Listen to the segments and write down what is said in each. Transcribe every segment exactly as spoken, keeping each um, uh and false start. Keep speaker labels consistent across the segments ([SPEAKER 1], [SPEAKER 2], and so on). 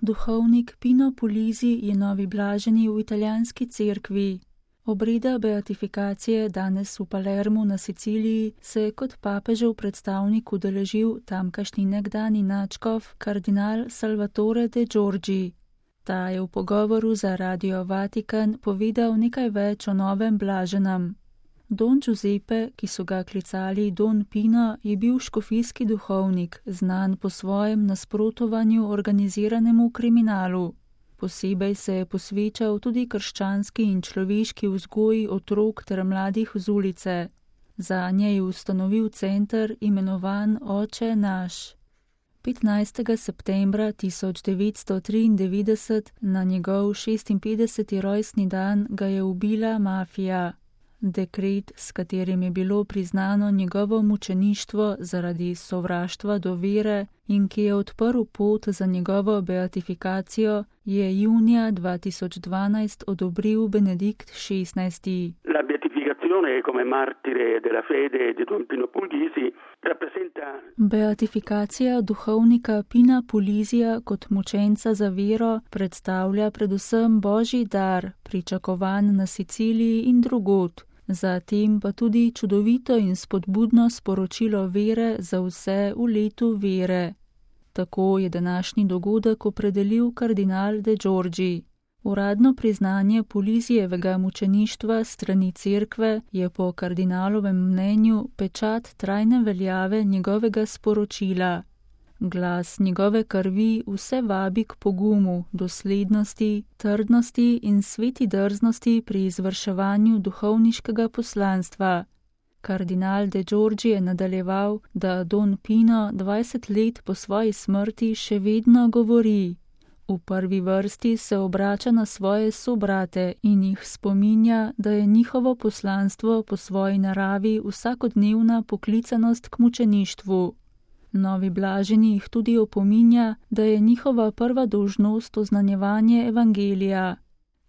[SPEAKER 1] Duhovnik Pino Puglisi je novi blaženi v italijanski cerkvi. Obreda beatifikacije danes v Palermu na Siciliji se je kot papežev predstavnik udeležil tamkajšnji nekdani nadškof kardinal Salvatore De Giorgi. Ta je v pogovoru za Radio Vatikan povedal nekaj več o novem blaženem. Don Giuseppe, ki so ga klicali Don Pino, je bil škofijski duhovnik, znan po svojem nasprotovanju organiziranemu kriminalu. Posebej se je posvečal tudi krščanski in človeški vzgoji otrok ter mladih z ulice. Zanje je ustanovil center imenovan Oče naš. petnajstega septembra tisoč devetsto triindevetdeset, na njegov šestinpetdeseti rojstni dan, ga je ubila mafija. Dekret, s katerim je bilo priznano njegovo mučeništvo zaradi sovraštva do vere in ki je odprl pot za njegovo beatifikacijo, je junija dva tisoč dvanajst odobril Benedikt šestnajsti.
[SPEAKER 2] La beatificazione come martire della fede di Don Pino Puglisi rappresenta...
[SPEAKER 1] Beatifikacija duhovnika Pina Puglisija kot mučenca za vero predstavlja predvsem božji dar, pričakovan na Siciliji in drugod. Zatem pa tudi čudovito in spodbudno sporočilo vere za vse v letu vere. Tako je današnji dogodek opredelil kardinal De Giorgi. Uradno priznanje Puglisijevega mučeništva strani cerkve je po kardinalovem mnenju pečat trajne veljave njegovega sporočila. Glas njegove krvi vse vabi k pogumu, doslednosti, trdnosti in sveti drznosti pri izvrševanju duhovniškega poslanstva. Kardinal De Giorgi je nadaljeval, da Don Pino dvajset let po svoji smrti še vedno govori. V prvi vrsti se obrača na svoje sobrate in jih spominja, da je njihovo poslanstvo po svoji naravi vsakodnevna poklicanost k mučeništvu. Novi blaženi jih tudi opominja, da je njihova prva dolžnost oznanjevanje evangelija.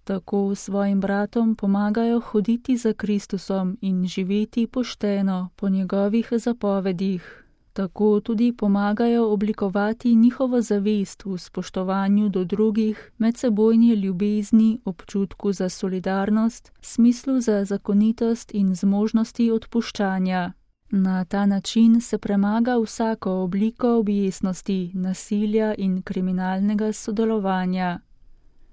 [SPEAKER 1] Tako svojim bratom pomagajo hoditi za Kristusom in živeti pošteno po njegovih zapovedih. Tako tudi pomagajo oblikovati njihovo zavest v spoštovanju do drugih, medsebojni ljubezni, občutku za solidarnost, smislu za zakonitost in zmožnosti odpuščanja. Na ta način se premaga vsako obliko objestnosti, nasilja in kriminalnega sodelovanja.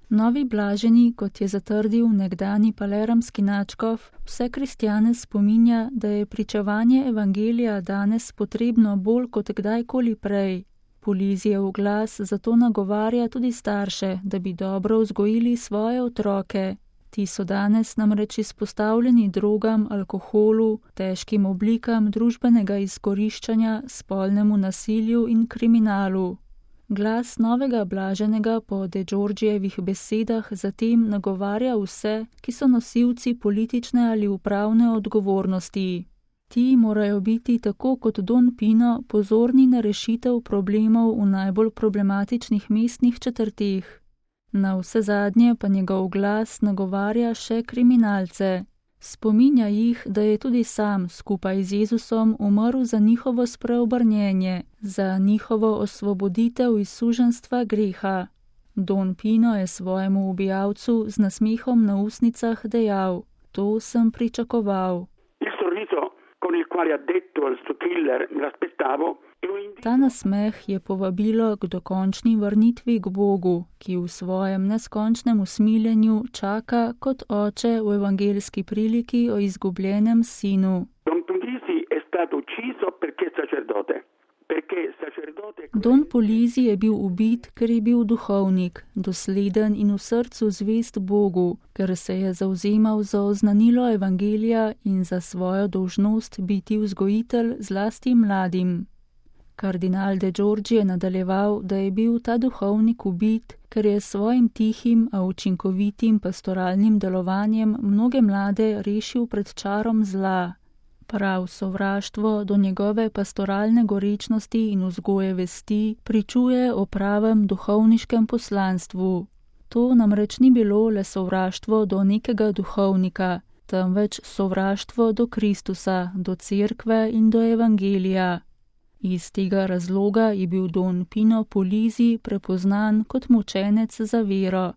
[SPEAKER 1] Novi blaženi, kot je zatrdil nekdani palermski nadškof, vse kristjane spominja, da je pričevanje evangelija danes potrebno bolj kot kdajkoli prej. Puglisijev glas zato nagovarja tudi starše, da bi dobro vzgojili svoje otroke. Ti so danes namreč izpostavljeni drogam, alkoholu, težkim oblikam družbenega izkoriščanja, spolnemu nasilju in kriminalu. Glas novega blaženega po De Giorgijevih besedah zatem nagovarja vse, ki so nosilci politične ali upravne odgovornosti. Ti morajo biti tako kot Don Pino pozorni na rešitev problemov v najbolj problematičnih mestnih četrteh. Na vse zadnje pa njegov glas nagovarja še kriminalce. Spominja jih, da je tudi sam skupaj z Jezusom umrl za njihovo spreobrnjenje, za njihovo osvoboditev iz suženjstva greha. Don Pino je svojemu ubijalcu z nasmehom na usnicah dejal: to sem pričakoval. Ta nasmeh je povabilo k dokončni vrnitvi k Bogu, ki v svojem neskončnem usmiljenju čaka kot oče v evangeljski priliki o izgubljenem sinu. Don Puglisi je bil ubit, ker je bil duhovnik, dosleden in v srcu zvest Bogu, ker se je zavzemal za oznanilo evangelija in za svojo dolžnost biti vzgojitelj zlasti mladim. Kardinal De Giorgi je nadaljeval, da je bil ta duhovnik ubit, ker je svojim tihim, a učinkovitim pastoralnim delovanjem mnoge mlade rešil pred čarom zla. Prav sovraštvo do njegove pastoralne gorečnosti in vzgoje vesti pričuje o pravem duhovniškem poslanstvu. To namreč ni bilo le sovraštvo do nekega duhovnika, temveč sovraštvo do Kristusa, do cerkve in do evangelija. Iz tega razloga je bil Don Pino Puglisi prepoznan kot mučenec za vero.